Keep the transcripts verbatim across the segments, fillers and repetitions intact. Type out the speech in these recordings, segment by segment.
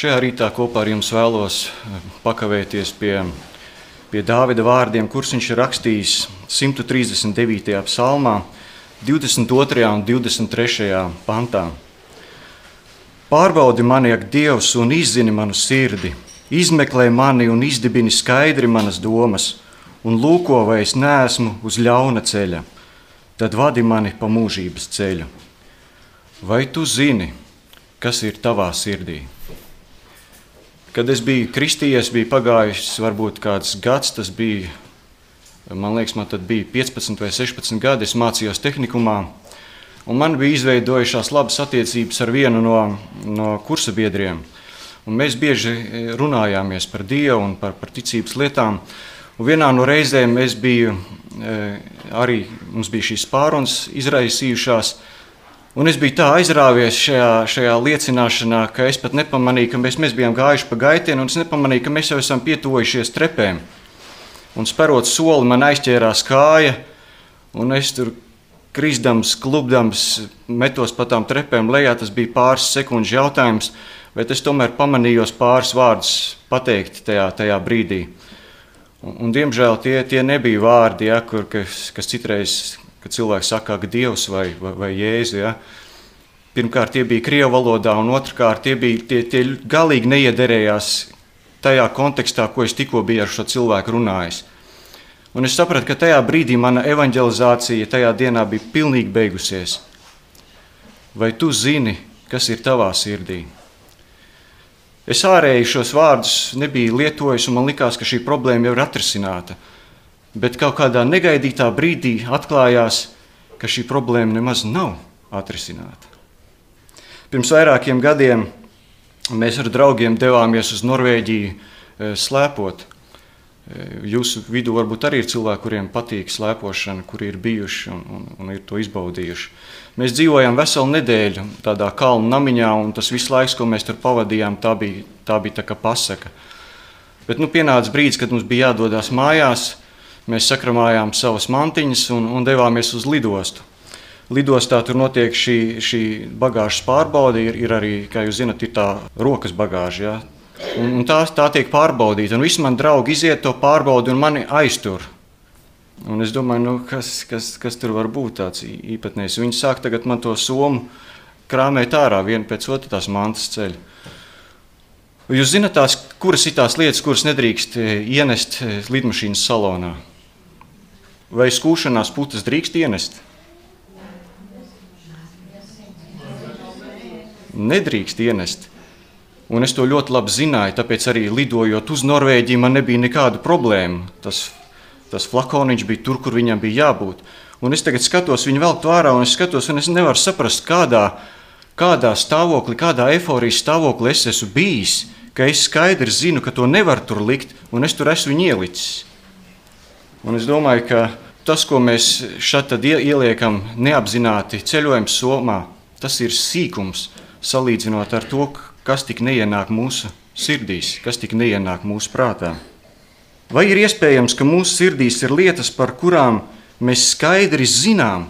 Šajā rītā kopā ar jums vēlos pakavēties pie, pie Dāvida vārdiem, kurus viņš ir rakstījis simt trīsdesmit devītajā psalmā, divdesmit otrajā un divdesmit trešajā pantā. Pārbaudi mani, ak Dievs, un izzini manu sirdi, izmeklē mani un izdibini skaidri manas domas, un lūko, vai es neesmu uz ļauna ceļa, tad vadi mani pa mūžības ceļu. Vai tu zini, kas ir tavā sirdī? Kad es biju kristījies, bija pagājis varbūt kāds gads, tas bija, man liekas, man tad bija piecpadsmit vai sešpadsmit gadi, es mācījos tehnikumā, un man bija izveidojušās labas attiecības ar vienu no, no kursa biedriem. Un mēs bieži runājāmies par Dievu un par, par ticības lietām, un vienā no reizēm es biju, arī mums bija šīs pārunas izraisījušās, un es biju tā aizrāvies šajā, šajā liecināšanā, ka es pat nepamanīju, ka mēs, mēs bijām gājuši pa gaitienu, un es nepamanīju, ka mēs jau esam pietuvojušies trepēm. Un sperot soli, man aizķērās kāja, un es tur krisdams, klubdams, metos pa tām trepēm lejā. Tas bija pāris sekundžu jautājums, bet es tomēr pamanījos pāris vārdus pateikt tajā, tajā brīdī. Un, un diemžēl tie, tie nebija vārdi, ja, kur, kas, kas citreiz, kad cilvēks saka, ka Dievs vai, vai, vai Jēzu. Ja. Pirmkārt, tie bija krievu valodā, un otrkārt, tie, bija, tie, tie galīgi neiederējās tajā kontekstā, ko es tikko biju ar šo cilvēku runājis. Un es sapratu, ka tajā brīdī mana evanģelizācija tajā dienā bija pilnīgi beigusies. Vai tu zini, kas ir tavā sirdī? Es ārēji šos vārdus nebiju lietojis, un man likās, ka šī problēma jau ir atrisināta. Bet kaut kādā negaidītā brīdī atklājās, ka šī problēma nemaz nav atrisināta. Pirms vairākiem gadiem mēs ar draugiem devāmies uz Norvēģiju slēpot. Jūsu vidū varbūt arī ir cilvēki, kuriem patīk slēpošana, kuri ir bijuši un, un, un ir to izbaudījuši. Mēs dzīvojām veselu nedēļu tādā kalnu namiņā, un tas viss laiks, ko mēs tur pavadījām, tā bija tā, bija tā kā pasaka. Bet nu, pienāca brīdis, kad mums bija jādodās mājās. Mēs sakramājām savas mantiņas un, un devāmies uz lidostu. Lidostā tur notiek šī, šī bagāžas pārbaude, ir, ir arī, kā jūs zinat, ir tā rokas bagāža. Ja? Un, un tā, tā tiek pārbaudīta, un visi mani draugi iziet to pārbaudi un mani aiztur. Un es domāju, nu, kas, kas, kas tur var būt tāds īpatnējs. Viņi sāk tagad man to somu krāmēt ārā, vienu pēc otru tās mantas ceļu. Jūs zināt tās, kuras ir tās lietas, kuras nedrīkst ienest lidmašīnas salonā? Vai skūšanās putas drīkst ienest? Nedrīkst ienest. Un es to ļoti labi zināju, tāpēc arī lidojot uz Norvēģiju man nebija nekādu problēmu. Tas, tas flakoniņš bija tur, kur viņam bija jābūt. Un es tagad skatos viņu velk to ārā, un es skatos, un es nevaru saprast, kādā, kādā stāvoklī, kādā eforijas stāvoklī es esmu bijis, ka es skaidri zinu, ka to nevar tur likt, un es tur esmu viņu ielicis. Un es domāju, ka tas, ko mēs šeit tad ieliekam neapzināti ceļojuma somā, tas ir sīkums, salīdzinot ar to, kas tik neienāk mūsu sirdīs, kas tik neienāk mūsu prātā. Vai ir iespējams, ka mūsu sirdīs ir lietas, par kurām mēs skaidri zinām,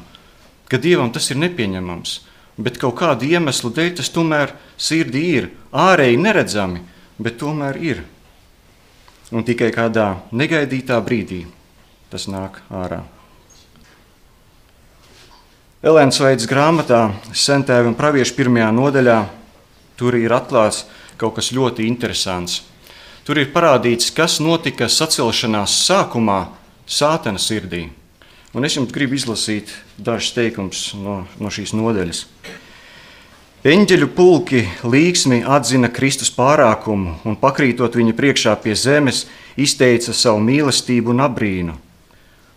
ka Dievam tas ir nepieņemams, bet kaut kādu iemeslu dēļ tas tomēr sirdī ir, ārēji neredzami, bet tomēr ir. Un tikai kādā negaidītā brīdī tas nāk ārā. Elēnas Vaidas grāmatā Sentēvi un pravieši pirmajā nodaļā tur ir atklāts kaut kas ļoti interesants. Tur ir parādīts, kas notika sacelšanās sākumā Sātana sirdī. Un es jums gribu izlasīt dažus teikumus no, no šīs nodaļas. Eņģeļu pulki līksmi atzina Kristus pārākumu un pakrītot viņa priekšā pie zemes, izteica savu mīlestību un abrīnu.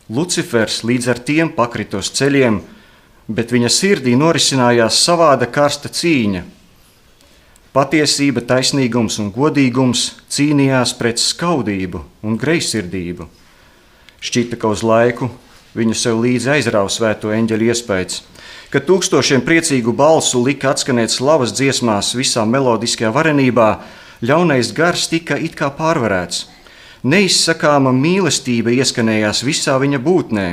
Lucifers līdz ar tiem pakrita uz ceļiem, bet viņa sirdī norisinājās savāda karsta cīņa. Patiesība, taisnīgums un godīgums cīnījās pret skaudību un greizsirdību. Šķita, ka uz laiku viņu sev līdzi aizrāva svēto eņģeļu iespējas, kad tūkstošiem priecīgu balsu lika atskanēt slavas dziesmās visā melodiskajā varenībā, ļaunais gars tika it kā pārvarēts. Neizsakāma mīlestība ieskanējās visā viņa būtnē,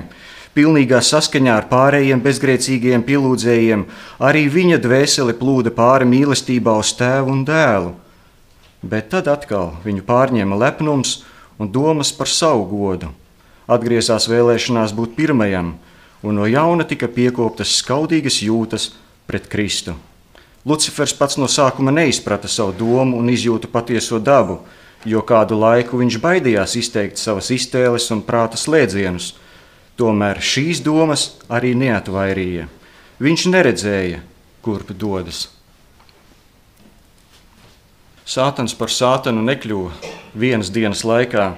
pilnīgā saskaņā ar pārējiem bezgrēcīgajiem pielūdzējiem, arī viņa dvēsele plūda pāri mīlestībā uz tēvu un dēlu. Bet tad atkal viņu pārņēma lepnums un domas par savu godu. Atgriezās vēlēšanās būt pirmajam, un no jauna tika piekoptas skaudīgas jūtas pret Kristu. Lucifers pats no sākuma neizprata savu domu un izjūtu patieso dabu, jo kādu laiku viņš baidījās izteikt savas iztēles un prāta slēdzienus. Tomēr šīs domas arī neatvairīja. Viņš neredzēja, kurp dodas. Sātans par sātanu nekļuva vienas dienas laikā.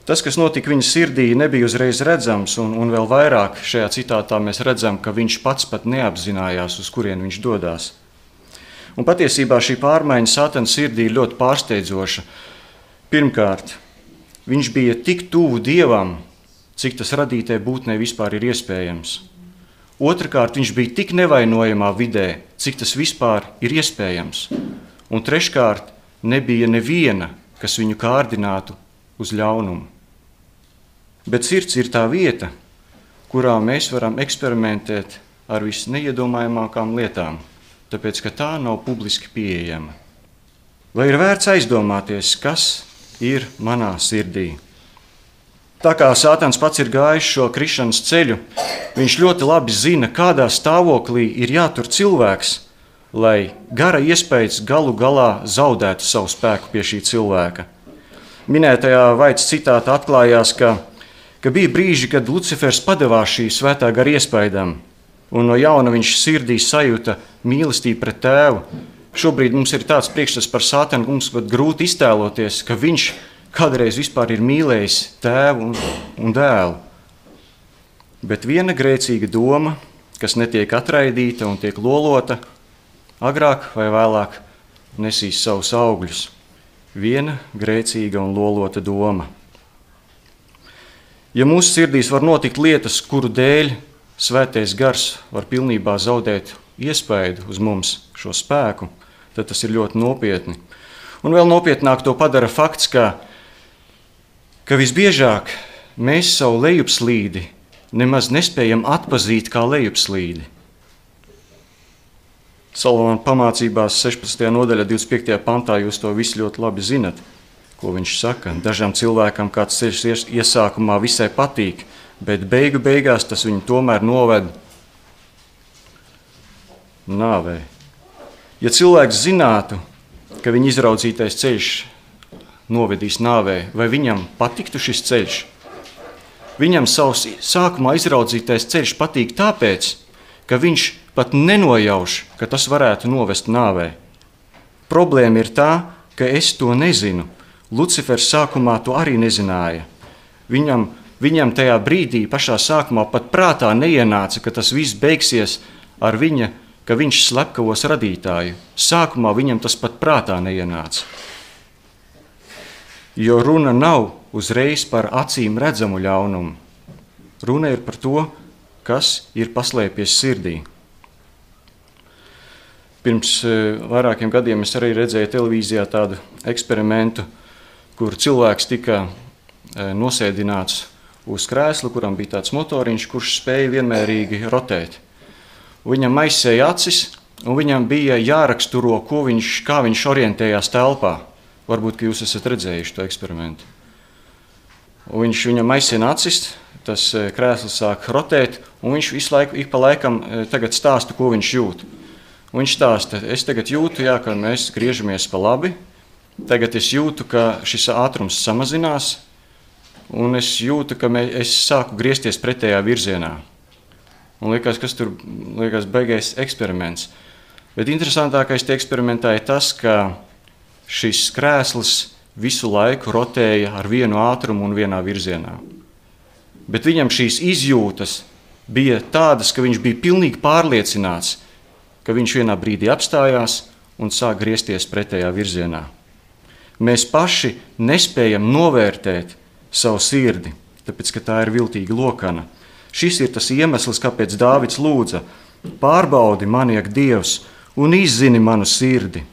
Tas, kas notika viņa sirdī, nebija uzreiz redzams, un, un vēl vairāk šajā citātā mēs redzam, ka viņš pats pat neapzinājās, uz kurien viņš dodās. Un patiesībā šī pārmaiņa Sātana sirdī ir ļoti pārsteidzoša. Pirmkārt, viņš bija tik tuvu Dievam, cik tas radītē būtnē vispār ir iespējams. Otrakārt, viņš bija tik nevainojamā vidē, cik tas vispār ir iespējams. Un treškārt, nebija neviena, kas viņu kārdinātu uz ļaunumu. Bet sirds ir tā vieta, kurā mēs varam eksperimentēt ar visneiedomājamākām lietām, tāpēc, ka tā nav publiski pieejama. Vai ir vērts aizdomāties, kas ir manā sirdī? Tā kā Sātans pats ir gājis šo krišanas ceļu, viņš ļoti labi zina, kādā stāvoklī ir jātur cilvēks, lai gara iespējas galu galā zaudētu savu spēku pie šī cilvēka. Minētajā Vaits citātā atklājās, ka, ka bija brīži, kad Lucifers padevās šī svētā gara iespējām, un no jauna viņš sirdī sajūta mīlestību pret tēvu. Šobrīd mums ir tāds priekšstats par Sātanu, mums pat grūti iztēloties, ka viņš kādreiz vispār ir mīlējis tēvu un, un dēlu. Bet viena grēcīga doma, kas netiek atraidīta un tiek lolota, agrāk vai vēlāk nesīs savus augļus. Viena grēcīga un lolota doma. Ja mūsu sirdīs var notikt lietas, kuru dēļ svētais gars var pilnībā zaudēt iespēju uz mums šo spēku, tad tas ir ļoti nopietni. Un vēl nopietnāk to padara fakts, ka, ka visbiežāk mēs savu lejupslīdi nemaz nespējam atpazīt kā lejupslīdi. Salamāna pamācībās sešpadsmitajā nodaļā divdesmit piektajā pantā jūs to visu ļoti labi zinat, ko viņš saka. Dažām cilvēkam kāds ceļš iesākumā visai patīk, bet beigu beigās tas viņu tomēr noved nāvei. Ja cilvēks zinātu, ka viņa izraudzītais ceļš novedīs nāvei, vai viņam patiktu šis ceļš? Viņam savs sākumā izraudzītais ceļš patīk tāpēc, ka viņš pat nenojauš, ka tas varētu novest nāvei. Problēma ir tā, ka es to nezinu. Lucifers sākumā to arī nezināja. Viņam, viņam tajā brīdī, pašā sākumā, pat prātā neienāca, ka tas viss beigsies ar viņa, ka viņš slepkavos radītāju. Sākumā viņam tas pat prātā neienāca. Jo runa nav uzreiz par acīm redzamu ļaunumu. Runa ir par to, kas ir paslēpies sirdī. Pirms vairākiem gadiem es arī redzēju televīzijā tādu eksperimentu, kur cilvēks tika nosēdināts uz krēsla, kuram bija tāds motoriņš, kurš spēja vienmērīgi rotēt. Viņam aizsēja acis, un viņam bija jāraksturo, ko viņš, kā viņš orientējās telpā. Varbūt, ka jūs esat redzējuši to eksperimentu. Un viņš viņam aizsēja acis, tas krēsls sāk rotēt, un viņš visu laiku, ik pa laikam tagad stāsta, ko viņš jūt. Un viņš stāsta, es tagad jūtu, jā, ka mēs griežamies pa labi, tagad es jūtu, ka šis ātrums samazinās, un es jūtu, ka mē, es sāku griezties pretējā virzienā. Un liekas, kas tur liekas beigais eksperiments. Bet interesantākais tie eksperimentā ir tas, ka šis krēsls visu laiku rotēja ar vienu ātrumu un vienā virzienā. Bet viņam šīs izjūtas bija tādas, ka viņš bija pilnīgi pārliecināts, ka viņš vienā brīdī apstājās un sāk griezties pretējā virzienā. Mēs paši nespējam novērtēt savu sirdi, tāpēc, ka tā ir viltīga lokana. Šis ir tas iemesls, kāpēc Dāvids lūdza: pārbaudi mani, ak Dievs, un izzini manu sirdi.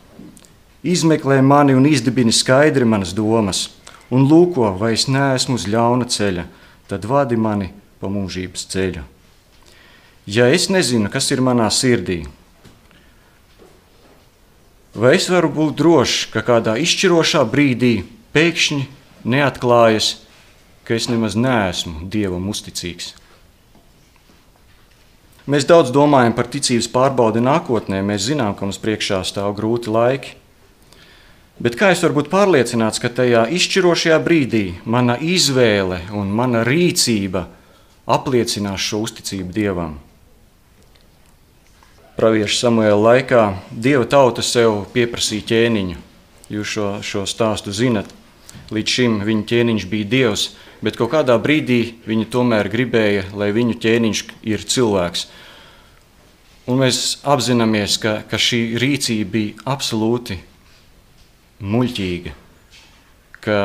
Izmeklē mani un izdibini skaidri manas domas, un lūko, vai es neesmu uz ļauna ceļa, tad vadi mani pa mūžības ceļu. Ja es nezinu, kas ir manā sirdī, Vai es varu būt drošs, ka kādā izšķirošā brīdī pēkšņi neatklājas, ka es nemaz neesmu Dievam uzticīgs? Mēs daudz domājam par ticības pārbaudi nākotnē, mēs zinām, ka mums priekšā stāv grūti laiki. Bet kā es varu būt pārliecināts, ka tajā izšķirošajā brīdī mana izvēle un mana rīcība apliecinās šo uzticību Dievam? Pravieša Samuēla laikā Dieva tauta sev pieprasīja ķēniņu. Jūs šo, šo stāstu zinat. Līdz šim viņa ķēniņš bija Dievs, bet kaut kādā brīdī viņi tomēr gribēja, lai viņu ķēniņš ir cilvēks. Un mēs apzināmies, ka, ka šī rīcība bija absolūti muļķīga, ka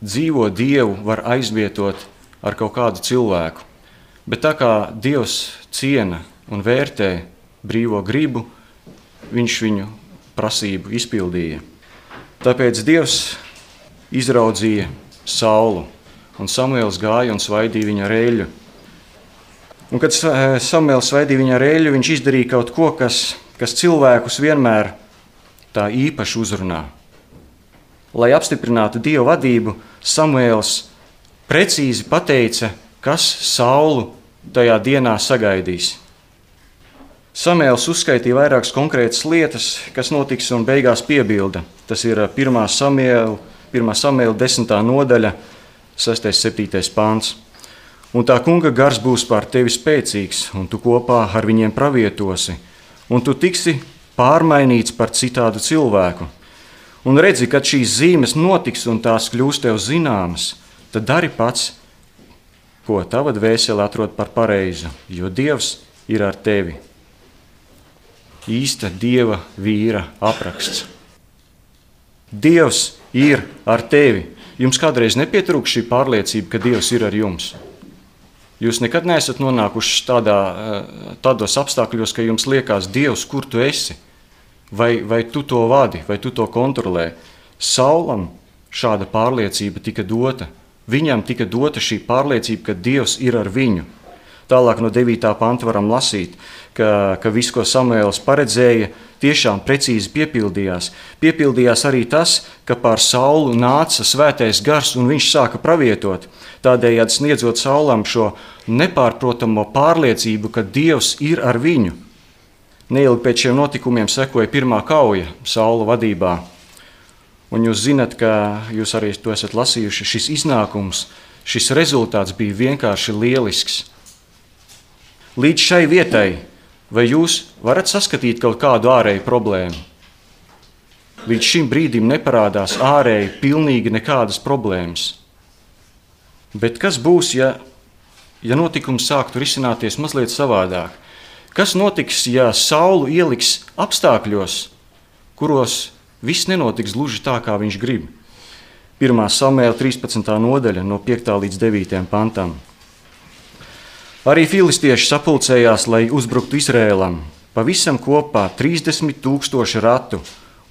dzīvo Dievu var aizvietot ar kaut kādu cilvēku. Bet tā kā Dievs ciena un vērtē brīvo gribu, viņš viņu prasību izpildīja. Tāpēc Dievs izraudzīja Saulu, un Samuēls gāja un svaidīja viņa ar eļļu. Un kad Samuēls svaidīja viņa ar eļļu, viņš izdarīja kaut ko, kas, kas cilvēkus vienmēr tā īpaši uzrunā. Lai apstiprinātu Dieva vadību, Samuēls precīzi pateica, kas Saulu tajā dienā sagaidīs. Samuēls uzskaitīja vairākas konkrētas lietas, kas notiks, un beigās piebilda. Tas ir pirmā Samuēla, pirmā Samuēla desmitā nodaļa, sestais septītais pāns. Un tā kunga gars būs pār tevi spēcīgs, un tu kopā ar viņiem pravietosi, un tu tiksi pārmainīts par citādu cilvēku. Un redzi, kad šīs zīmes notiks un tās kļūs tev zināmas, tad dari pats, ko tava dvēsele atrod par pareizu, jo Dievs ir ar tevi. Īsta Dieva vīra apraksts. Dievs ir ar tevi. Jums kādreiz nepietrūks šī pārliecība, ka Dievs ir ar jums? Jūs nekad neesat nonākuši tādā, tādos apstākļos, ka jums liekas, Dievs, kur tu esi? Vai, vai tu to vadi, vai tu to kontrolē? Saulam šāda pārliecība tika dota. Viņam tika dota šī pārliecība, ka Dievs ir ar viņu. Tālāk no devītā panta varam lasīt, ka, ka viss, ko Samuēls paredzēja, tiešām precīzi piepildījās. Piepildījās arī tas, ka pār Saulu nāca svētais gars un viņš sāka pravietot, tādējādi sniedzot Saulam šo nepārprotamo pārliecību, ka Dievs ir ar viņu. Neilgi pēc šiem notikumiem sekoja pirmā kauja Saula vadībā. Un jūs zinat, ka jūs arī to esat lasījuši, šis iznākums, šis rezultāts bija vienkārši lielisks. Līdz šai vietai, vai jūs varat saskatīt kaut kādu ārēju problēmu? Līdz šim brīdim neparādās ārēji pilnīgi nekādas problēmas. Bet kas būs, ja, ja notikums sāktu risināties mazliet savādāk? Kas notiks, ja Saulu ieliks apstākļos, kuros viss nenotiks gluži tā, kā viņš grib? pirmā Samuēla trīspadsmitā nodaļa no piektā līdz devītajam pantam. Arī filistieši sapulcējās, lai uzbruktu Izrēlam. Pavisam kopā trīsdesmit tūkstoši ratu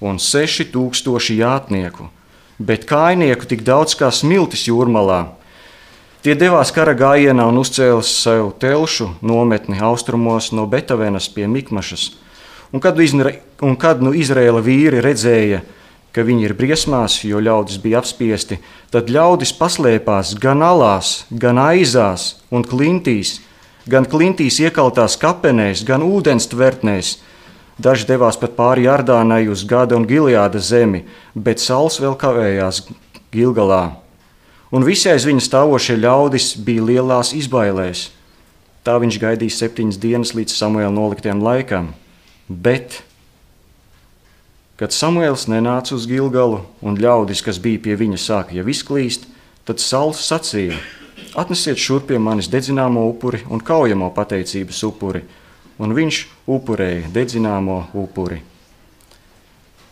un seši tūkstoši jātnieku, bet kājnieku tik daudz kā smiltis jūrmalā. Tie devās kara gājienā un uzcēla sev telšu nometni austrumos no Betavenas pie Mikmašas. Un kad, izre, un kad nu Izrēla vīri redzēja, ka viņi ir briesmās, jo ļaudis bija apspiesti, tad ļaudis paslēpās gan alās, gan aizās un klintīs, gan klintīs iekaltās kapenēs, gan ūdens tvertnēs. Daži devās pat pāri Jardānai uz Gada un Gileāda zemi, bet Sauls vēl kavējās Gilgalā. Un visi aiz viņa stāvošie ļaudis bija lielās izbailēs. Tā viņš gaidīja septiņas dienas līdz Samuēla noliktiem laikam. Bet, kad Samuēls nenāca uz Gilgalu un ļaudis, kas bija pie viņa, sāka jau izklīst, tad Sauls sacīja: atnesiet šurp pie manis dedzināmo upuri un kaujamo pateicības upuri, un viņš upurēja dedzināmo upuri.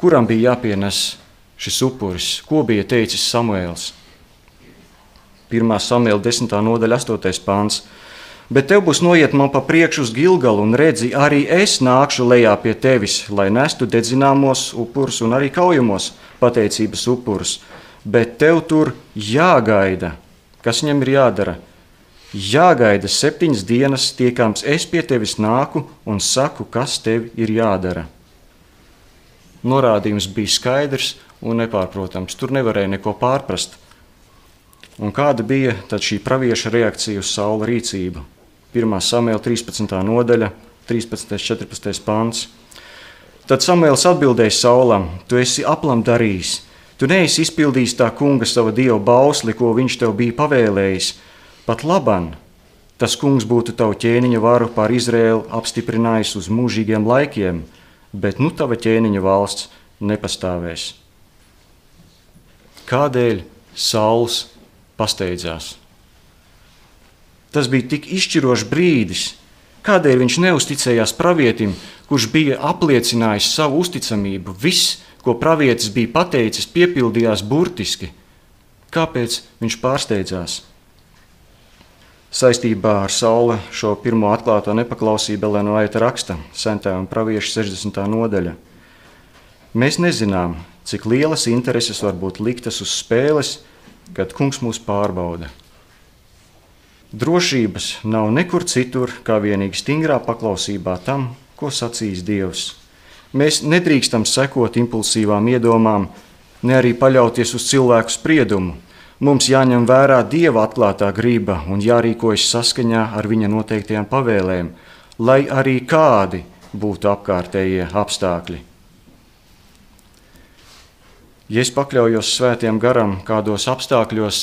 Kuram bija jāpienes šis upuris? Ko bija teicis Samuēls? pirmā Samuēla desmitā nodaļa astotais pāns. Bet tev būs noiet man pa priekšu uz Gilgalu, un redzi, arī es nākšu lejā pie tevis, lai nestu dedzināmos upurus un arī kaujamos pateicības upurus. Bet tev tur jāgaida. Kas viņam ir jādara? Jāgaida septiņas dienas, tiekams es pie tevis nāku un saku, kas tev ir jādara. norādījums bija skaidrs un nepārprotams. Tur nevarēja neko pārprast. Un kāda bija tad šī pravieša reakcija uz Saula rīcību? pirmā Samuēla trīspadsmitā nodaļa, trīspadsmitais četrpadsmitais pants. Tad Samuēls atbildēja Saulam: Tu esi aplam darījis, tu neesi izpildījis tā kunga sava dieva bausli, ko viņš tev bija pavēlējis. Pat laban, tas kungs būtu tavu ķēniņa varu pār Izraēlu apstiprinājis uz mūžīgiem laikiem, bet nu tava ķēniņa valsts nepastāvēs. Kādēļ Sauls pasteidzās? Tas bija tik izšķirošs brīdis. Kādēļ viņš neusticējās pravietim, kurš bija apliecinājis savu uzticamību? Viss, ko pravietis bija pateicis, piepildījās burtiski. Kāpēc viņš pārsteidzās? Saistībā ar Saula šo pirmo atklāto nepaklausību Elēna Vaita raksta Sentējuma pravieša sešdesmitā nodaļa. Mēs nezinām, cik lielas intereses var būt liktas uz spēles, kad kungs mūs pārbauda. Drošības nav nekur citur, kā vienīgi stingrā paklausībā tam, ko sacīs Dievs. Mēs nedrīkstam sekot impulsīvām iedomām, ne arī paļauties uz cilvēku spriedumu. Mums jāņem vērā Dieva atklātā grība un jārīkojas saskaņā ar viņa noteiktajām pavēlēm, lai arī kādi būtu apkārtējie apstākļi. Ja es pakļaujos svētiem garam kādos apstākļos,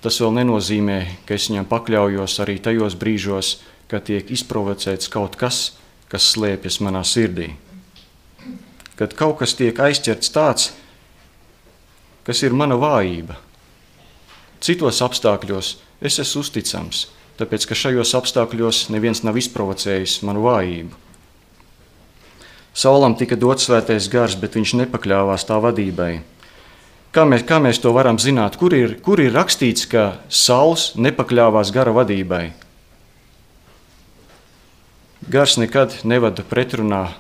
tas vēl nenozīmē, ka es viņam pakļaujos arī tajos brīžos, kad tiek izprovocēts kaut kas, kas slēpjas manā sirdī. Kad kaut kas tiek aizķerts tāds, kas ir mana vājība. Citos apstākļos es esmu uzticams, tāpēc, ka šajos apstākļos neviens nav izprovocējis manu vājību. Saulam tika dots svētais gars, bet viņš nepakļāvās tā vadībai. Kā mēs, kā mēs to varam zināt? Kur ir, kur ir rakstīts, ka Sauls nepakļāvās gara vadībai? Gars nekad nevada pretrunā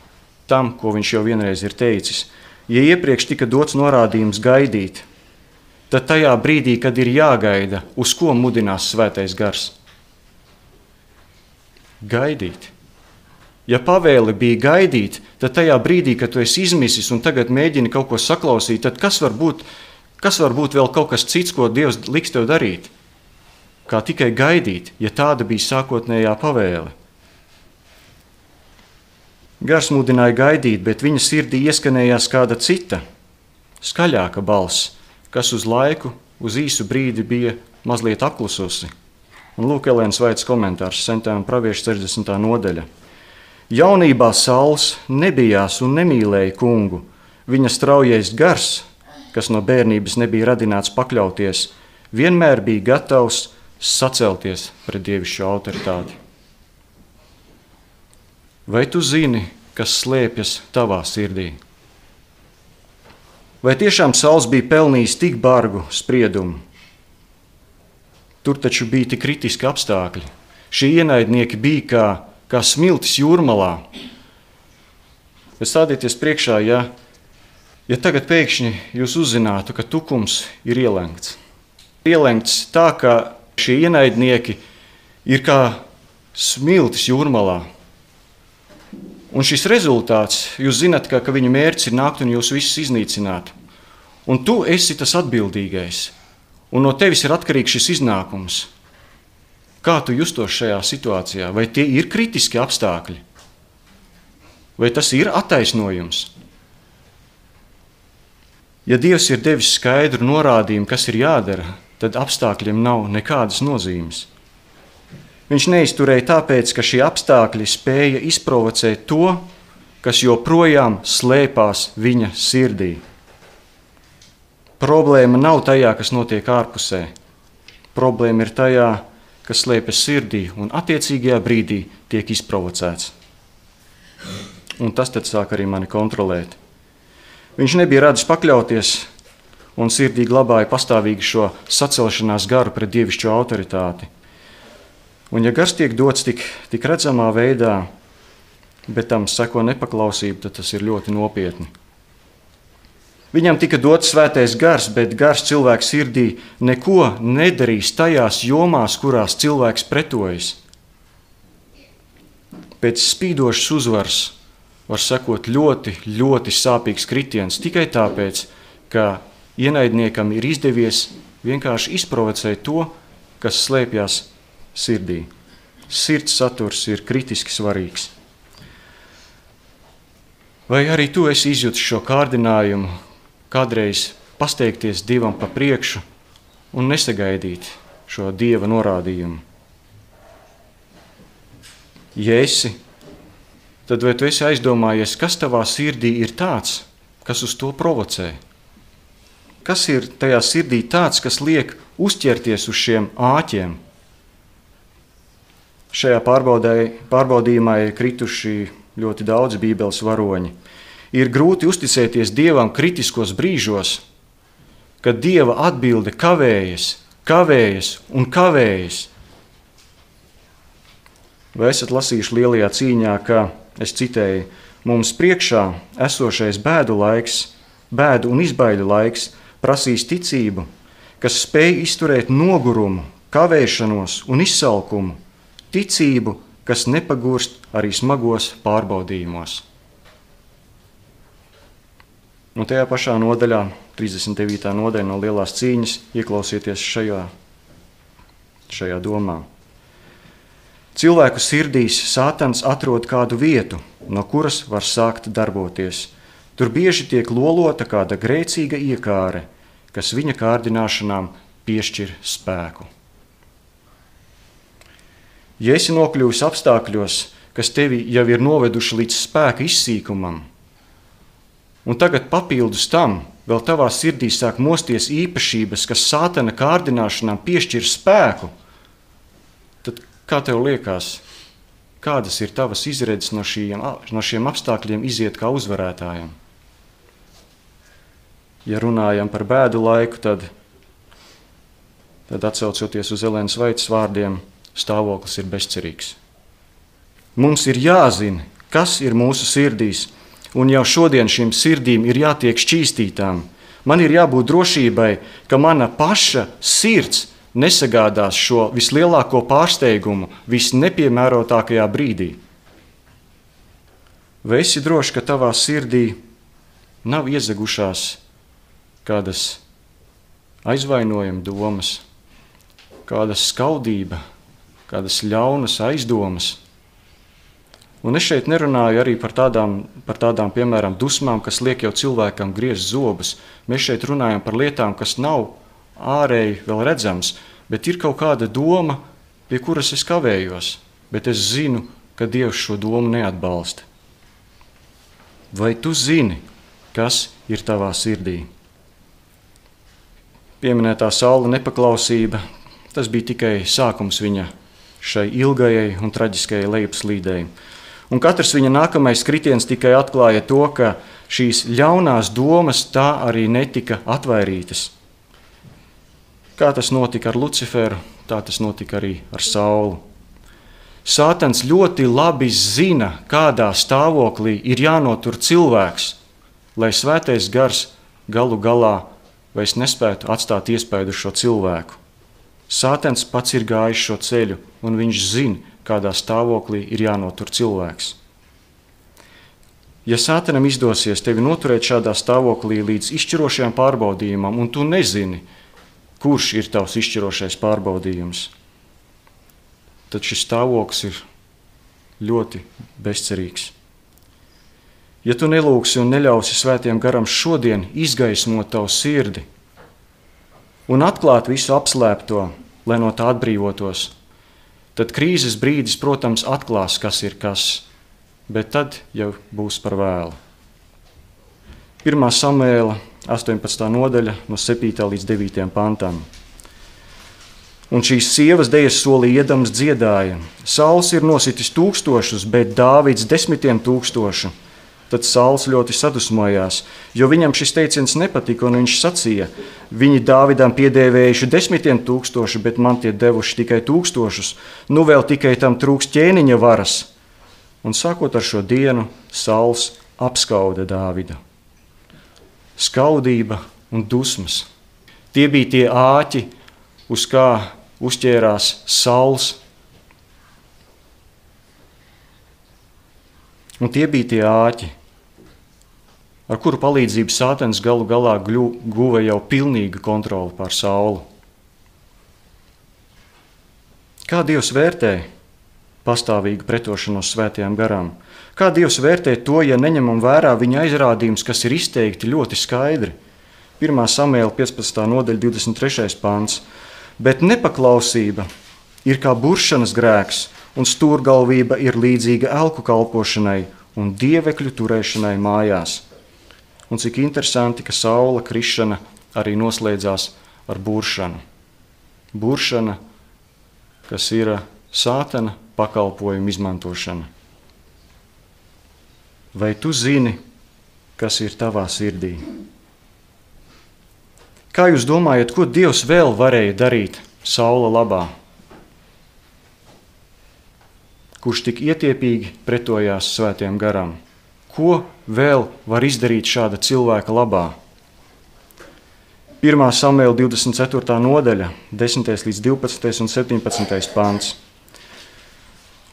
tam, ko viņš jau vienreiz ir teicis. Ja iepriekš tika dots norādījums gaidīt, tad tajā brīdī, kad ir jāgaida, uz ko mudinās svētais gars? Gaidīt. Ja pavēle bija gaidīt, tad tajā brīdī, kad tu esi izmisis un tagad mēģini kaut ko saklausīt, tad kas var būt, kas var būt vēl kaut kas cits, ko Dievs liks tev darīt? Kā tikai gaidīt, ja tāda bija sākotnējā pavēle. Gars mudināja gaidīt, bet viņa sirdī ieskanējās kāda cita, skaļāka balss, kas uz laiku, uz īsu brīdi bija mazliet apklususi. Un lūk, Elēnas Vaitas komentārs, Sentējuma pravieša sešdesmitā nodaļa. Jaunībā Sauls nebijās un nemīlēja kungu. Viņa straujais gars, kas no bērnības nebija radināts pakļauties, vienmēr bija gatavs sacelties pret dievišķo autoritāti. Vai tu zini, kas slēpjas tavā sirdī? Vai tiešām Sauls bija pelnījis tik bargu spriedumu? Tur taču bija tik kritiski apstākļi. Šie ienaidnieki bija kā, kā smiltis jūrmalā. Bet stādieties priekšā, ja, ja tagad pēkšņi jūs uzzinātu, ka tukums ir ielenkts. Ielenkts tā, ka šie ienaidnieki ir kā smiltis jūrmalā. Un šis rezultāts, jūs zināt, ka, ka viņa mērķis ir nākt un jūs visus iznīcināt. Un tu esi tas atbildīgais. Un no tevis ir atkarīgs šis iznākums. Kā tu justos šajā situācijā? Vai tie ir kritiski apstākļi? Vai tas ir attaisnojums? Ja Dievs ir devis skaidru norādījumu, kas ir jādara, tad apstākļiem nav nekādas nozīmes. Viņš neizturēja tāpēc, ka šie apstākļi spēja izprovocēt to, kas joprojām slēpās viņa sirdī. Problēma nav tajā, kas notiek ārpusē. Problēma ir tajā, kas slēpjas sirdī un attiecīgajā brīdī tiek izprovocēts. Un tas tad sāk arī mani kontrolēt. Viņš nebija radis pakļauties un sirdī glabāja pastāvīgi šo sacelšanās garu pret dievišķo autoritāti. Un ja gars tiek dots tik, tik redzamā veidā, bet tam seko nepaklausība, tad tas ir ļoti nopietni. Viņam tika dots svētais gars, bet gars cilvēka sirdī neko nedarīs tajās jomās, kurās cilvēks pretojas. Pēc spīdošas uzvaras var sekot ļoti, ļoti sāpīgs kritiens tikai tāpēc, ka ienaidniekam ir izdevies vienkārši izprovocēt to, kas slēpjas sirdī. Sirds saturs ir kritiski svarīgs. Vai arī tu esi izjutis šo kārdinājumu, kādreiz pasteigties Dievam pa priekšu un nesagaidīt šo Dieva norādījumu? Ja esi, tad vai tu esi aizdomājies, kas tavā sirdī ir tāds, kas uz to provocē? Kas ir tajā sirdī tāds, kas liek uzķerties uz šiem āķiem? Šajā pārbaudījumā ir krituši ļoti daudz Bībeles varoņi. Ir grūti uzticēties Dievam kritiskos brīžos, kad Dieva atbilde kavējas, kavējas un kavējas. Vai esat lasījuši lielajā cīņā, ka, es citēju, mums priekšā esošais bēdu laiks, bēdu un izbaiļu laiks prasīs ticību, kas spēj izturēt nogurumu, kavēšanos un izsalkumu, ticību, kas nepagurst arī smagos pārbaudījumos. Un tajā pašā nodaļā, trīsdesmit devītā nodaļa no lielās cīņas, ieklausieties šajā, šajā domā. Cilvēku sirdīs Sātans atrod kādu vietu, no kuras var sākt darboties. Tur bieži tiek lolota kāda grēcīga iekāre, kas viņa kārdināšanām piešķir spēku. Ja esi nokļuvis apstākļos, kas tevi jau ir noveduši līdz spēka izsīkumam, un tagad papildus tam vēl tavā sirdī sāk mosties īpašības, kas Sātana kārdināšanām piešķir spēku, tad kā tev liekas, kādas ir tavas izredzes no šiem, no šiem apstākļiem iziet kā uzvarētājiem? Ja runājam par bēdu laiku, tad, tad atsaucoties uz Elēnas Vaitas vārdiem, stāvoklis ir bezcerīgs. Mums ir jāzina, kas ir mūsu sirdīs, un jau šodien šīm sirdīm ir jātiek šķīstītām. Man ir jābūt drošībai, ka mana paša sirds nesagādās šo vislielāko pārsteigumu visnepiemērotākajā brīdī. Vai esi drošs, ka tavā sirdī nav iezagušās kādas aizvainojuma domas, kāda skaudība, kādas ļaunas aizdomas? Un es šeit nerunāju arī par tādām, par tādām, piemēram, dusmām, kas liek jau cilvēkam griezt zobus. Mēs šeit runājam par lietām, kas nav ārēji vēl redzams, bet ir kaut kāda doma, pie kuras es kavējos, bet es zinu, ka Dievs šo domu neatbalsta. Vai tu zini, kas ir tavā sirdī? Pieminētā Saula nepaklausība, tas bija tikai sākums viņa šai ilgajai un traģiskajai lejupslīdei. Un katrs viņa nākamais kritiens tikai atklāja to, ka šīs ļaunās domas tā arī netika atvairītas. Kā tas notika ar Luciferu, tā tas notika arī ar Saulu. Sātans ļoti labi zina, kādā stāvoklī ir jānotur cilvēks, lai svētais gars galu galā vairs nespētu atstāt iespaidu šo cilvēku. Sātans pats ir gājis šo ceļu, un viņš zina, kādā stāvoklī ir jānotur cilvēks. Ja Sātanam izdosies tevi noturēt šādā stāvoklī līdz izšķirošajam pārbaudījumam, un tu nezini, kurš ir tavs izšķirošais pārbaudījums, tad šis stāvoklis ir ļoti bezcerīgs. Ja tu nelūgsi un neļausi Svētajam garam šodien izgaismot tavu sirdi un atklāt visu apslēpto, lai no tā atbrīvotos, tad krīzes brīdis, protams, atklās, kas ir kas, bet tad jau būs par vēlu. pirmā Samuēla astoņpadsmitā nodaļa no septītā līdz devītajam pantam. Un šīs sievas dejas solī iedams dziedāja: Sauls ir nositis tūkstošus, bet Dāvids desmitiem tūkstošu. Tad Sauls ļoti sadusmojās, jo viņam šis teiciens nepatika, un viņš sacīja: viņi Dāvidam piedēvējuši desmitiem tūkstošu, bet man tie devuši tikai tūkstošus, nu vēl tikai tam trūks ķēniņa varas. Un sākot ar šo dienu, Sauls apskauda Dāvidu. Skaudība un dusmas. Tie bija tie āķi, uz kā uzķērās Sauls. Un tie bija tie āķi, ar kuru palīdzību Sātans galu galā guva jau pilnīgu kontroli pār Saulu. Kā Dievs vērtē pastāvīgu pretošanos svētajām garām? Kā Dievs vērtē to, ja neņemam vērā viņa aizrādījums, kas ir izteikti ļoti skaidri? pirmā Samuēla piecpadsmitā nodaļa divdesmit trešais pants. Bet nepaklausība ir kā buršanas grēks, un stūrgalvība ir līdzīga elku kalpošanai un dievekļu turēšanai mājās. Un cik interesanti, ka Saula krišana arī noslēdzās ar buršanu. Buršana, kas ir Sātana pakalpojuma izmantošana. Vai tu zini, kas ir tavā sirdī? Kā jūs domājat, ko Dievs vēl varēja darīt Saula labā? Kurš tik ietiepīgi pretojās svētajām garām? Ko vēl var izdarīt šāda cilvēka labā? pirmā Samuēla divdesmit ceturtā nodaļa, desmitais līdz divpadsmitais un septiņpadsmitais pants.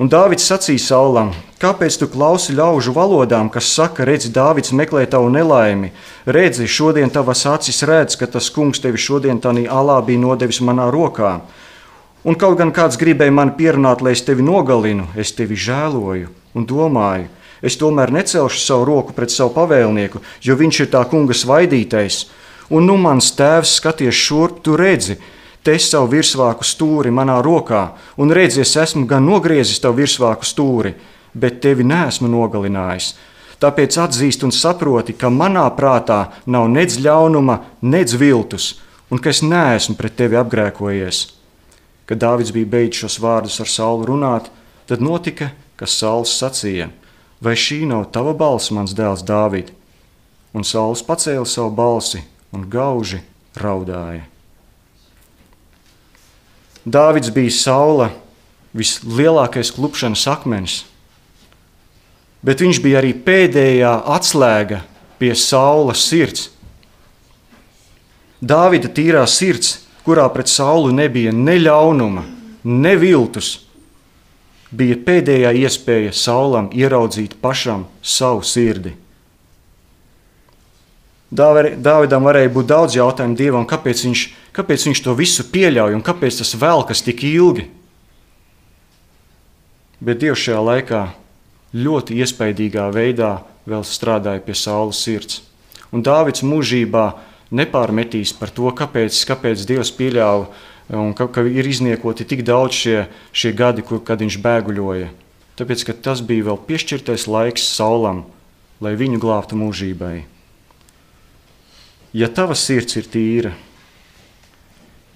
Un Dāvids sacīja Saulam: kāpēc tu klausi ļaužu valodām, kas saka, redzi, Dāvids meklē tavu nelaimi, redzi, šodien tavas acis redz, ka tas kungs tevi šodien tanī alā bija nodevis manā rokā. Un kaut gan kāds gribēja mani pierunāt, lai es tevi nogalinu, es tevi žēloju un domāju, es tomēr necelšu savu roku pret savu pavēlnieku, jo viņš ir tā kunga svaidītais. Un nu mans tēvs skaties šurp, tu redzi, te es savu virsvāku stūri manā rokā, un redzi, es esmu gan nogriezis tavu virsvāku stūri, bet tevi neesmu nogalinājis. Tāpēc atzīst un saproti, ka manā prātā nav nedz ļaunuma, nedz viltus, un ka es neesmu pret tevi apgrēkojies. Kad Dāvids bija beidzis šos vārdus ar Saulu runāt, tad notika, ka Sauls sacīja: vai šī nav tava balss, mans dēls Dāvid? Un Sauls pacēla savu balsi un gauži raudāja. Dāvids bija Saula vislielākais klupšanas akmens, bet viņš bija arī pēdējā atslēga pie Saula sirds. Dāvida tīrā sirds, kurā pret Saulu nebija ne ļaunuma, ne viltus, bija pēdējā iespēja Saulam ieraudzīt pašam savu sirdi. Dāvidam varēja būt daudz jautājumu Dievam, kāpēc viņš, kāpēc viņš to visu pieļauj un kāpēc tas velkas tik ilgi. Bet Dievs šajā laikā ļoti iespaidīgā veidā vēl strādāja pie Saula sirds. Un Dāvids mūžībā nepārmetīs par to, kāpēc, kāpēc Dievs pieļāva un ka, ka ir izniekoti tik daudz šie, šie gadi, kur, kad viņš bēguļoja. Tāpēc, ka tas bija vēl piešķirtais laiks Saulam, lai viņu glābtu mūžībai. Ja tava sirds ir tīra,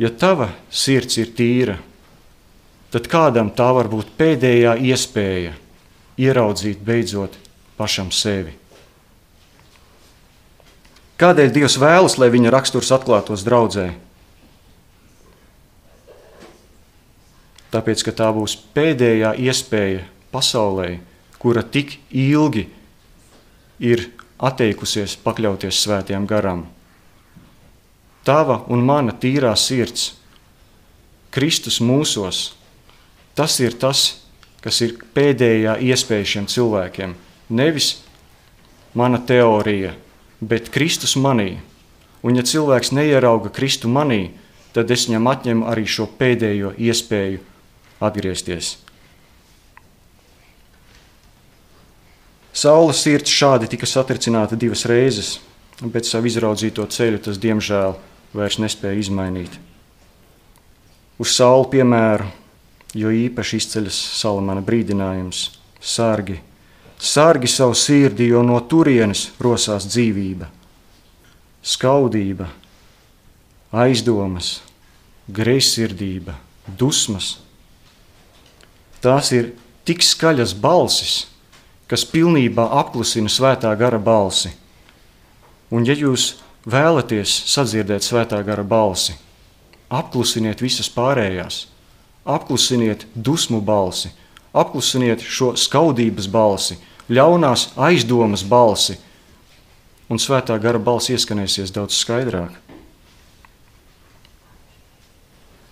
ja tava sirds ir tīra, tad kādam tā var būt pēdējā iespēja ieraudzīt beidzot pašam sevi. Kādēļ Dievs vēlas, lai viņa raksturs atklātos draudzē? Tāpēc, ka tā būs pēdējā iespēja pasaulē, kura tik ilgi ir atteikusies pakļauties svētajām garām. Tava un mana tīrā sirds, Kristus mūsos, tas ir tas, kas ir pēdējā iespēja šiem cilvēkiem. Nevis mana teorija, bet Kristus manī. Un ja cilvēks neierauga Kristu manī, tad es viņam atņemu arī šo pēdējo iespēju atgriezties. Saula sirds šādi tika satricināta divas reizes, bet savu izraudzīto ceļu tas, diemžēl, vairs nespēja izmainīt. Uz Saulu piemēru, jo īpaši izceļas Salamana brīdinājums: sargi, sargi savu sirdi, jo no turienes rosās dzīvība. Skaudība, aizdomas, greizsirdība, dusmas. Tās ir tik skaļas balsis, kas pilnībā apklusina svētā gara balsi. Un ja jūs vēlaties sadzirdēt svētā gara balsi, apklusiniet visas pārējās, apklusiniet dusmu balsi, apklusiniet šo skaudības balsi, ļaunās aizdomas balsi, un svētā gara balsi ieskanēsies daudz skaidrāk.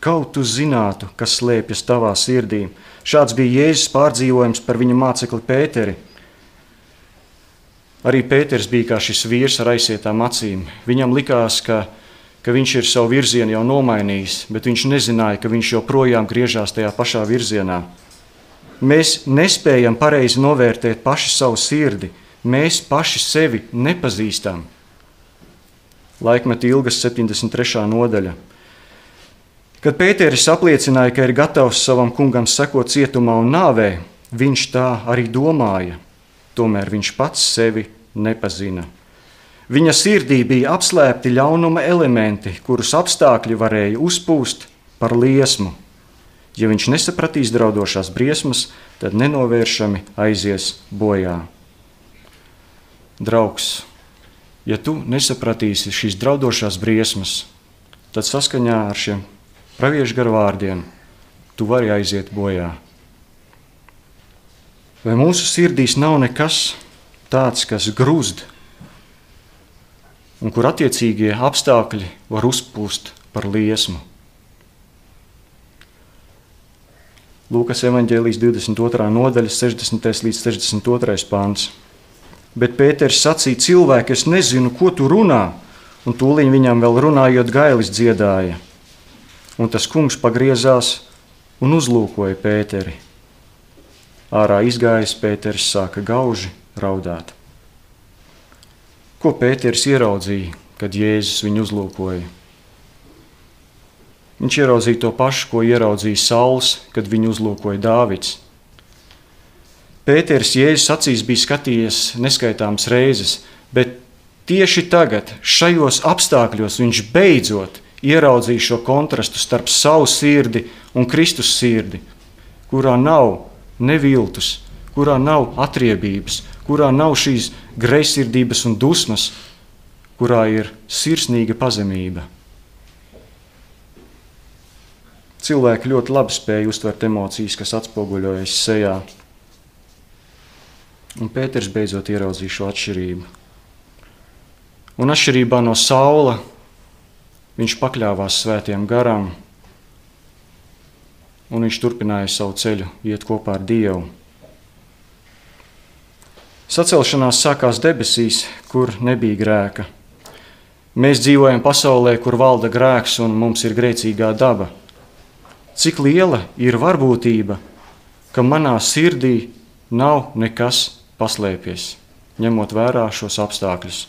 Kaut tu zinātu, kas slēpjas tavā sirdī. Šāds bija Jēzus pārdzīvojums par viņa mācekli Pēteri. Arī Pēters bija kā šis vīrs ar aizsietām acīm. Viņam likās, ka, ka viņš ir savu virzienu jau nomainījis, bet viņš nezināja, ka viņš joprojām griežās tajā pašā virzienā. Mēs nespējam pareizi novērtēt paši savu sirdi. Mēs paši sevi nepazīstam. Laikmeta ilgas septiņdesmit trešā nodaļa. Kad Pēteris apliecināja, ka ir gatavs savam kungam sekot cietumā un nāvē, viņš tā arī domāja. Tomēr viņš pats sevi nepazina. Viņa sirdī bija apslēpti ļaunuma elementi, kurus apstākļi varēja uzpūst par liesmu. Ja viņš nesapratīs draudošās briesmas, tad nenovēršami aizies bojā. Draugs, ja tu nesapratīsi šīs draudošās briesmas, tad saskaņā ar šiem praviešu garu vārdiem tu vari aiziet bojā. Vai mūsu sirdīs nav nekas tāds, kas grūzd, un kur attiecīgie apstākļi var uzpūst par liesmu? Lūkas evaņģēlijas divdesmit otrā nodaļa, sešdesmitais līdz sešdesmit otrais pants. Bet Pēters sacīja: cilvēki, es nezinu, ko tu runā, un tūliņ viņam vēl runājot gailis dziedāja. Un tas kungs pagriezās un uzlūkoja Pēteri. Ārā izgājis, Pēteris sāka gauži raudāt. Ko Pēteris ieraudzīja, kad Jēzus viņu uzlūkoja? Viņš ieraudzīja to pašu, ko ieraudzīja Sauls, kad viņu uzlūkoja Dāvids. Pēteris Jēzus acīs bija skatījies neskaitāmas reizes, bet tieši tagad, šajos apstākļos, viņš beidzot ieraudzīja šo kontrastu starp savu sirdi un Kristus sirdi, kurā nav neviltus, kurā nav atriebības, kurā nav šīs greizsirdības un dusmas, kurā ir sirsnīga pazemība. Cilvēki ļoti labi spēja uztvert emocijas, kas atspoguļojas sejā. Un Pēters beidzot ieraudzīja šo atšķirību. Un atšķirībā no Saula viņš pakļāvās svētiem garam, un viņš turpināja savu ceļu iet kopā ar Dievu. Sacelšanās sākās debesīs, kur nebija grēka. Mēs dzīvojam pasaulē, kur valda grēks un mums ir grēcīgā daba. Cik liela ir varbūtība, ka manā sirdī nav nekas paslēpies, ņemot vērā šos apstākļus.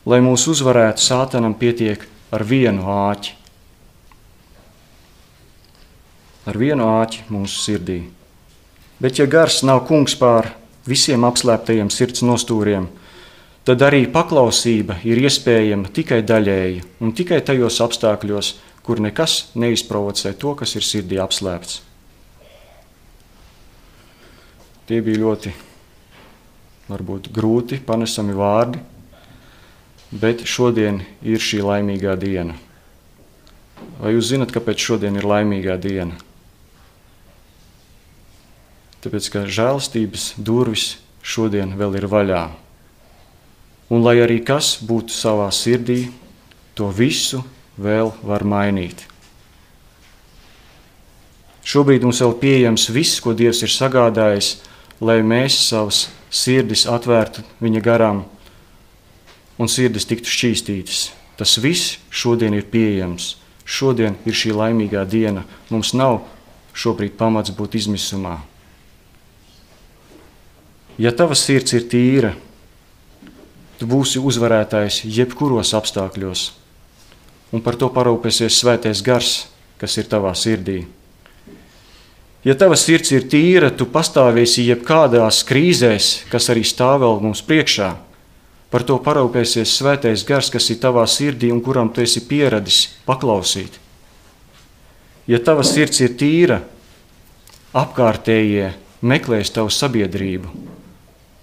Lai mūs uzvarētu, Sātanam pietiek ar vienu āķi. Ar vienu āķi mūsu sirdī. Bet ja gars nav kungs pār visiem apslēptajiem sirds nostūriem, tad arī paklausība ir iespējama tikai daļēji un tikai tajos apstākļos, kur nekas neizprovocē to, kas ir sirdī apslēpts. Tie bija ļoti, varbūt, grūti panesami vārdi, bet šodien ir šī laimīgā diena. Vai jūs zinat, kāpēc šodien ir laimīgā diena? Tāpēc, ka žēlastības durvis šodien vēl ir vaļā. Un lai arī kas būtu savā sirdī, to visu vēl var mainīt. Šobrīd mums vēl pieejams viss, ko Dievs ir sagādājis, lai mēs savas sirdis atvērtu viņa garām un sirdis tiktu šķīstītas. Tas viss šodien ir pieejams. Šodien ir šī laimīgā diena. Mums nav šobrīd pamats būt izmisumā. Ja tava sirds ir tīra, tu būsi uzvarētājs jebkuros apstākļos. Un par to parūpēsies svētais gars, kas ir tavā sirdī. Ja tava sirds ir tīra, tu pastāvēsi jebkādās krīzēs, kas arī stāv vēl mums priekšā. Par to parūpēsies svētais gars, kas ir tavā sirdī un kuram tu esi pieradis paklausīt. Ja tava sirds ir tīra, apkārtējie meklēs tavu sabiedrību.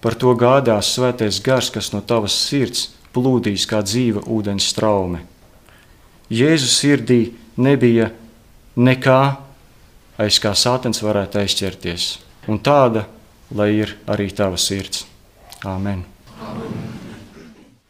Par to gādās svētais gars, kas no tavas sirds plūdīs kā dzīva ūdens straume. Jēzus sirdī nebija nekā, aiz kā Sātans varētu aizķerties. Un tāda, lai ir arī tava sirds. Āmen.